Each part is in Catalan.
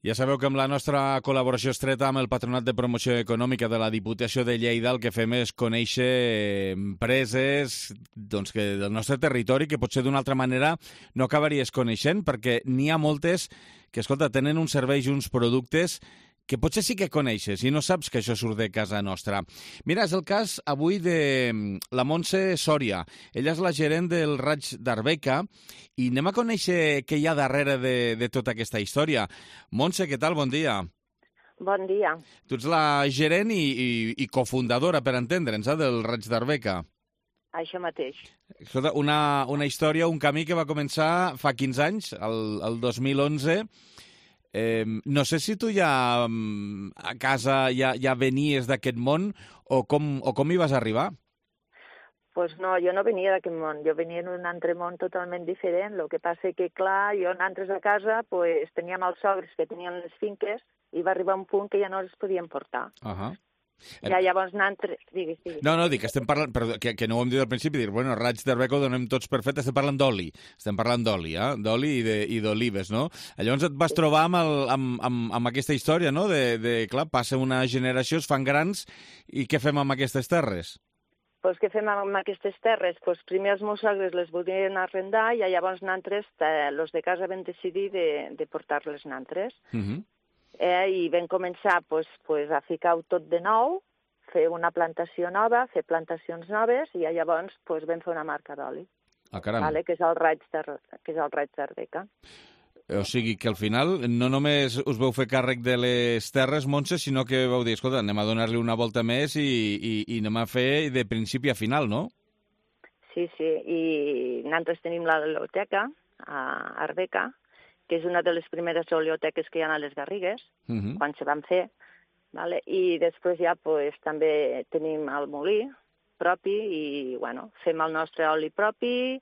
Ja sabeu que amb la nostra col·laboració estreta amb el Patronat de Promoció Econòmica de la Diputació de Lleida el que fem és conèixer empreses del nostre territori que potser d'una altra manera no acabaries coneixent, perquè n'hi ha moltes que, escolta, tenen uns serveis i uns productes que potser sí que coneixes i no saps que això surt de casa nostra. Mira, és el cas avui de la Montse Sòria. Ella és la gerent del Raig d'Arbeca i anem a conèixer què hi ha darrere de tota aquesta història. Montse, què tal? Bon dia. Bon dia. Tu ets la gerent i cofundadora, per entendre'ns, del Raig d'Arbeca. Això mateix. Escolta, una història, un camí que va començar fa 15 anys, el 2011. No sé si tu ja a casa ja venies d'aquest món o com hi vas arribar? Pues no, jo no venia d'aquest món, jo venia en un altre món totalment diferent. El que passa que, clar, jo nosaltres a casa pues, teníem els sogres que tenien les finques i va arribar un punt que ja no les podíem portar. Ja llavors nosaltres... Digues. No, dic que estem parlant, però que no ho hem dit al principi, dir, bueno, Raig d'Arbeca ho donem tots per fet, estem parlant d'oli, d'oli i d'olives, no? Llavors et vas trobar amb aquesta història, no?, clar, passa una generació, es fan grans, i què fem amb aquestes terres? Pues què fem amb aquestes terres? Pues primer els meus sogres les volien arrendar i llavors nosaltres, els de casa, vam decidir de portar-les nosaltres. I vam començar a ficar-ho tot de nou, fer una plantació nova, fer plantacions noves, i llavors vam fer una marca d'oli, que és el Raig d'Arbeca. O sigui que al final no només us vau fer càrrec de les terres, Montse, sinó que vau dir, escolta, anem a donar-li una volta més i anem a fer de principi a final, no? Sí, i nosaltres tenim la biblioteca a Arbeca, que és una de les primeres oleoteques que hi ha a les Garrigues, quan se van fer, i després ja també tenim el molí propi i fem el nostre oli propi,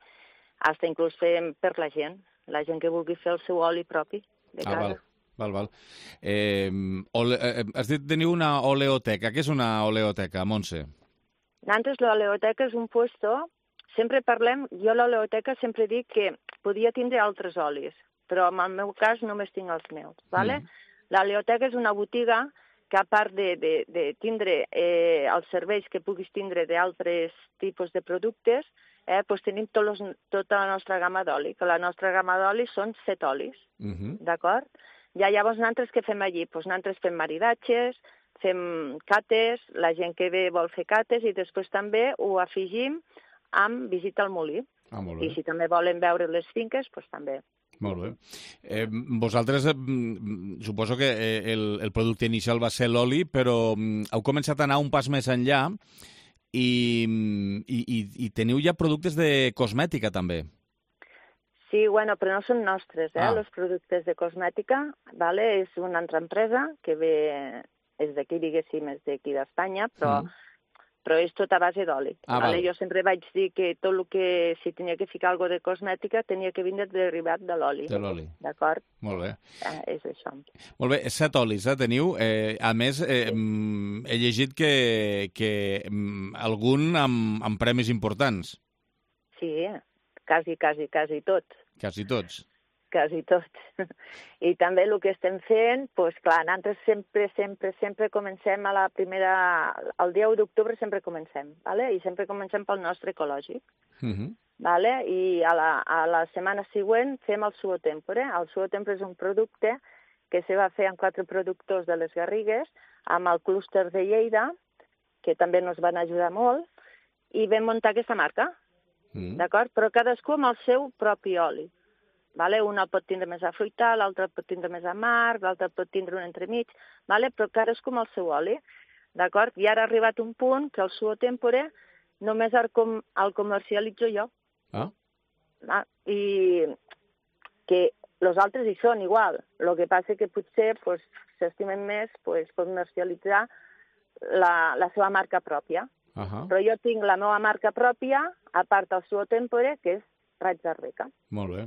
fins inclús fem per la gent que vulgui fer el seu oli propi de casa. Val. Has dit teniu una oleoteca. Què és una oleoteca, Montse? Nosaltres l'oleoteca és un puesto, sempre parlem, jo l'oleoteca sempre dic que podia tindre altres olis, però en el meu cas només tinc els meus. L'oleoteca és una botiga que, a part de tindre els serveis que puguis tindre d'altres tipus de productes, tenim tota la nostra gamma d'oli, que la nostra gamma d'oli són 7 olis, d'acord? I llavors nosaltres què fem allí? Nosaltres fem maridatges, fem cates, la gent que ve vol fer cates i després també ho afegim amb visita al molí. I si també volen veure les finques, doncs també. Molt bé. Vosaltres, suposo que el producte inicial va ser l'oli, però heu començat a anar un pas més enllà i teniu ja productes de cosmètica, també. Sí, però no són nostres, els productes de cosmètica. És una altra empresa que ve, és d'aquí, diguéssim, és d'aquí d'Espanya, però és tot a base d'oli. Jo sempre vaig dir que tot el que, si tenia que ficar alguna cosa de cosmètica, tenia que vindre derivat de l'oli. De l'oli. D'acord? Molt bé. És això. Molt bé, 7 olis, teniu. A més, he llegit que algun amb premis importants. Sí, quasi tots. Quasi tots. Quasi tots. I també el que estem fent, clar, nosaltres sempre comencem el dia 1 d'octubre sempre comencem, i sempre comencem pel nostre ecològic. I a la setmana següent fem el suo tempore. El suo tempore és un producte que se va fer amb 4 productors de les Garrigues, amb el clúster de Lleida, que també ens van ajudar molt, i vam muntar aquesta marca, d'acord? Però cadascú amb el seu propi oli. Un el pot tindre més afruitat, l'altre el pot tindre més amarg, l'altre pot tindre un entremig, però cadascú amb el seu oli, d'acord? I ara ha arribat un punt que el suo tempore només el comercialitzo jo. I que els altres hi són igual. El que passa que potser s'estimen més comercialitzar la seva marca pròpia. Però jo tinc la meva marca pròpia, a part del suo tempore, que és Raig d'Arbeca. Molt bé.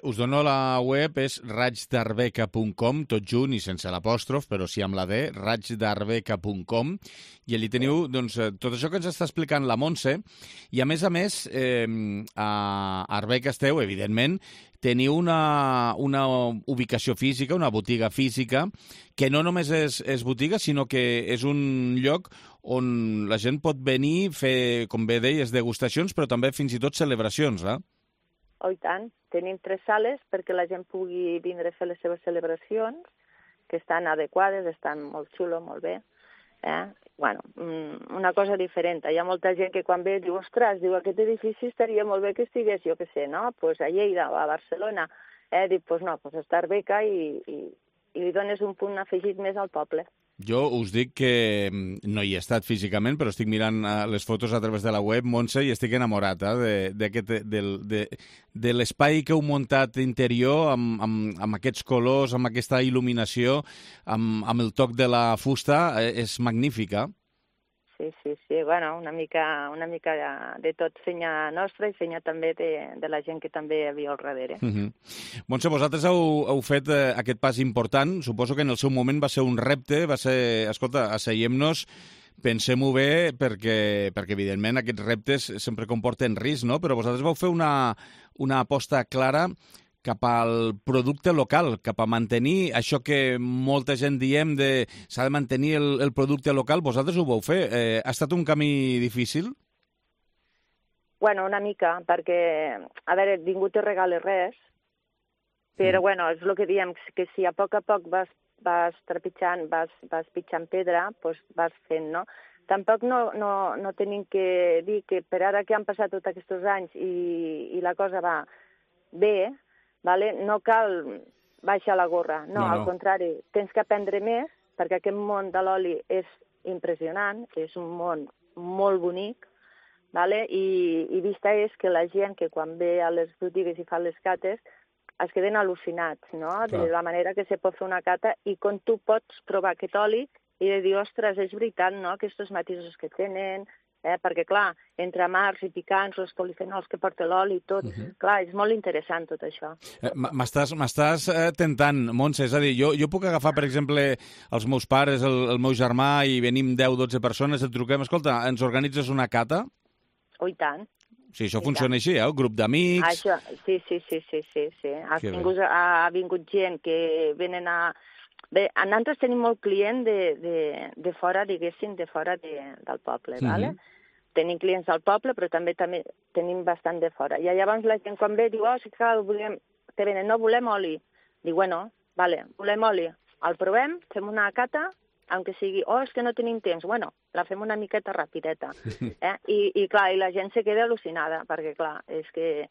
Us dono la web, és raigdarbeca.com, tot junt i sense l'apòstrof, però sí amb la D, raigdarbeca.com, i allí teniu tot això que ens està explicant la Montse, i a més, a Arbeca esteu, evidentment, teniu una ubicació física, una botiga física, que no només és botiga, sinó que és un lloc on la gent pot venir, fer, com bé deies, degustacions, però també fins i tot celebracions, eh? Oh, i tant. Tenim 3 sales perquè la gent pugui vindre a fer les seves celebracions, que estan adequades, estan molt xulo, molt bé. Bueno, una cosa diferent. Hi ha molta gent que quan ve diu, ostres, diu, aquest edifici estaria molt bé que estigués, jo què sé, no? Pues a Lleida o a Barcelona. Dic, pues no, pues està Arbeca i li dones un punt afegit més al poble. Jo us dic que no hi he estat físicament, però estic mirant les fotos a través de la web, Montse, i estic enamorat de l'espai que heu muntat interior amb aquests colors, amb aquesta il·luminació, amb el toc de la fusta, és magnífica. Sí, bueno, una mica de tot fenya nostra i fenya també de la gent que també hi havia al darrere. Montse, vosaltres heu fet aquest pas important, suposo que en el seu moment va ser un repte, va ser, escolta, asseiem-nos, pensem-ho bé, perquè evidentment aquests reptes sempre comporten risc, no? Però vosaltres vau fer una aposta clara cap al producte local, cap a mantenir això que molta gent diem de s'ha de mantenir el producte local, vosaltres ho vau fer. Ha estat un camí difícil? Bueno, una mica, perquè, a veure, ningú te regala res, però, bueno, és el que diem, que si a poc vas trepitjant, vas pitjant pedra, doncs vas fent, no? Tampoc no tenim que dir que per ara que han passat tots aquests anys i la cosa va bé, vale? No cal baixar la gorra, no, al contrari, tens que aprendre més, perquè aquest món de l'oli és impressionant, és un món molt bonic, vale? I vista és que la gent que quan ve a les botigues i fa les cates es queden al·lucinats, no? De la manera que se pot fer una cata i quan tu pots provar aquest oli i de dir, ostres, és veritat, no?, aquests matisos que tenen, perquè, clar, entre amargs i picants, els polifenols que porta l'oli i tot, clar, és molt interessant tot això. M'estàs tentant, Montse, és a dir, jo puc agafar, per exemple, els meus pares, el meu germà, i venim 10-12 persones, et truquem, escolta, ens organitzes una cata? Oh, i tant. Sí, això funciona així, un grup d'amics... Sí. Ha vingut gent que venen a... Bé, nosaltres tenim molt client de fora, diguéssim, de fora del poble, ¿vale? Tenim clients del poble, però també tenim bastant de fora. I llavors la gent quan ve diu, sí que te venen, no volem oli. Dic, bueno, vale, volem oli. El provem, fem una cata, aunque sigui, és que no tenim temps. Bueno, la fem una miqueta rapideta. I clar, i la gent se queda al·lucinada, perquè clar, és que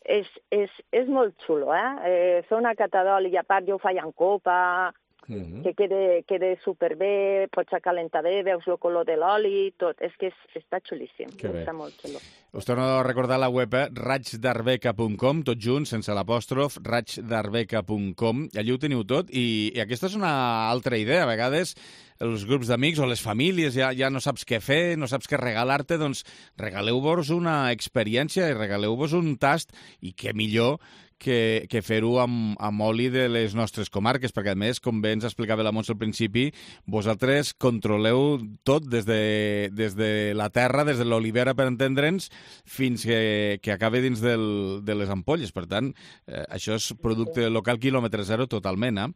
és molt xulo, fer una cata d'oli i a part jo ho faig en copa, que quede superbé, pots calentar bé, veus el color de l'oli, tot. És que està xulíssim, està molt xulo. Us torno a recordar la web, raigdarbeca.com, tot junt, sense l'apòstrof, raigdarbeca.com, allí ho teniu tot, i aquesta és una altra idea. A vegades els grups d'amics o les famílies ja no saps què fer, no saps què regalar-te, doncs regaleu-vos una experiència i regaleu-vos un tast, i què millor que fer-ho amb oli de les nostres comarques, perquè a més, com bé ens explicava la Montse al principi, vosaltres controleu tot des de la terra, des de l'olivera, per entendre'ns, fins que acabe dins de les ampolles. Per tant, això és producte local quilòmetre zero totalment,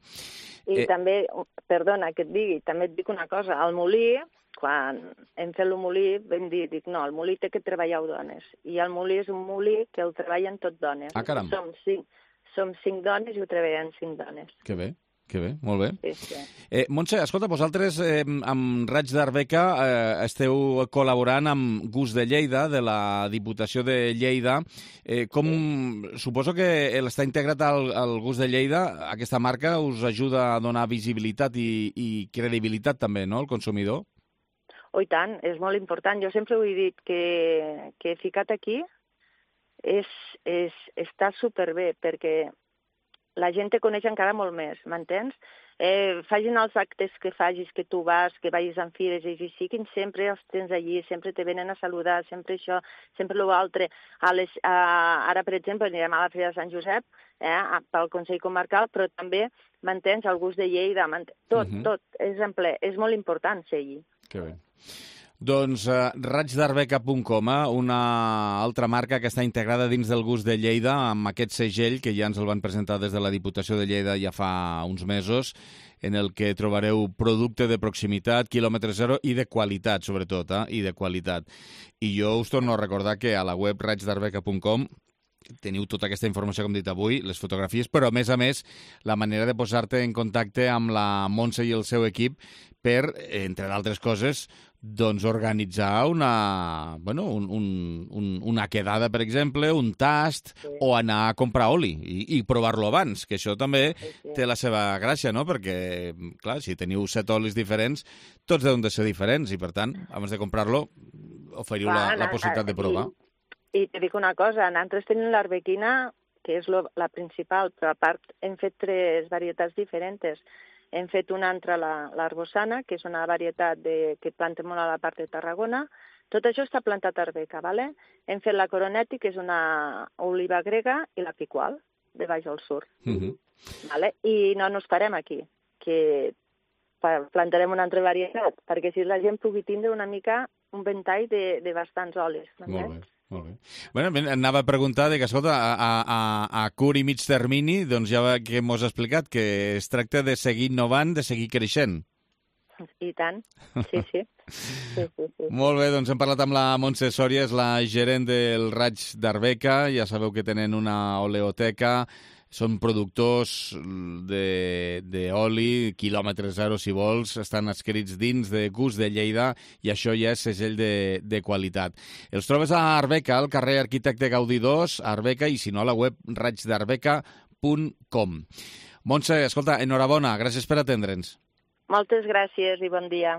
I també, perdona que et digui, també et dic una cosa, al molí, quan hem fet el molí, vam dir, no, el molí té que treballar dones. I el molí és un molí que el treballen tot dones. Caram. Som 5 dones i ho treballen 5 dones. Que bé, molt bé. Sí. Montse, escolta, vosaltres amb Raig d'Arbeca esteu col·laborant amb Gust de Lleida, de la Diputació de Lleida. Suposo que l'estar integrat al Gust de Lleida, aquesta marca us ajuda a donar visibilitat i credibilitat també, no?, al consumidor? Oh, i tant, és molt important. Jo sempre ho he dit, que ficat aquí està superbé, perquè la gent te coneix encara molt més, m'entens? Fagin els actes que facis, que tu vas, que vagis en fires i siguin, sempre els tens allí, sempre te venen a saludar, sempre això, sempre l'altre. Ara, per exemple, anirem a la Fira de Sant Josep, pel Consell Comarcal, però també, m'entens, el Gust de Lleida, tot, és en ple. És molt important ser allí. Que bé. Doncs raigdarbeca.com, una altra marca que està integrada dins del Gust de Lleida amb aquest segell que ja ens el van presentar des de la Diputació de Lleida ja fa uns mesos, en el que trobareu producte de proximitat, quilòmetre zero i de qualitat, sobretot, i de qualitat. I jo us torno a recordar que a la web raigdarbeca.com teniu tota aquesta informació, com he dit avui, les fotografies, però, a més, la manera de posar-te en contacte amb la Montse i el seu equip per, entre d'altres coses, doncs organitzar una quedada, per exemple, un tast, o anar a comprar oli i provar-lo abans, que això també té la seva gràcia, no? Perquè, clar, si teniu 7 olis diferents, tots deuen de ser diferents, i, per tant, abans de comprar-lo, oferiu la possibilitat de provar. I te dic una cosa, nosaltres tenim l'arbequina, que és la principal, però a part hem fet 3 varietats diferents. Hem fet una altra, l'arbosana, que és una varietat que planta molt a la part de Tarragona. Tot això està plantat a Arbeca, ¿vale? Hem fet la Coronetti, que és una oliva grega, i la Picual, de baix al sur. ¿Vale? I no ens parem aquí, que plantarem una altra varietat, perquè si la gent pugui tindre una mica un ventall de bastants olis. Molt bé. Molt bé. Bueno, anava a preguntar que, escolta, a curt i mig termini, doncs ja que m'ho has explicat, que es tracta de seguir innovant, de seguir creixent. I tant, sí. Molt bé, doncs hem parlat amb la Montse Sòria, és la gerent del Raig d'Arbeca, ja sabeu que tenen una oleoteca, són productors d'oli, quilòmetre zero, si vols, estan escrits dins de Gust de Lleida i això ja és segell de qualitat. Els trobes a Arbeca, al carrer Arquitecte Gaudí 2, Arbeca, i si no, a la web raigdarbeca.com. Montse, escolta, enhorabona, gràcies per atendre'ns. Moltes gràcies i bon dia.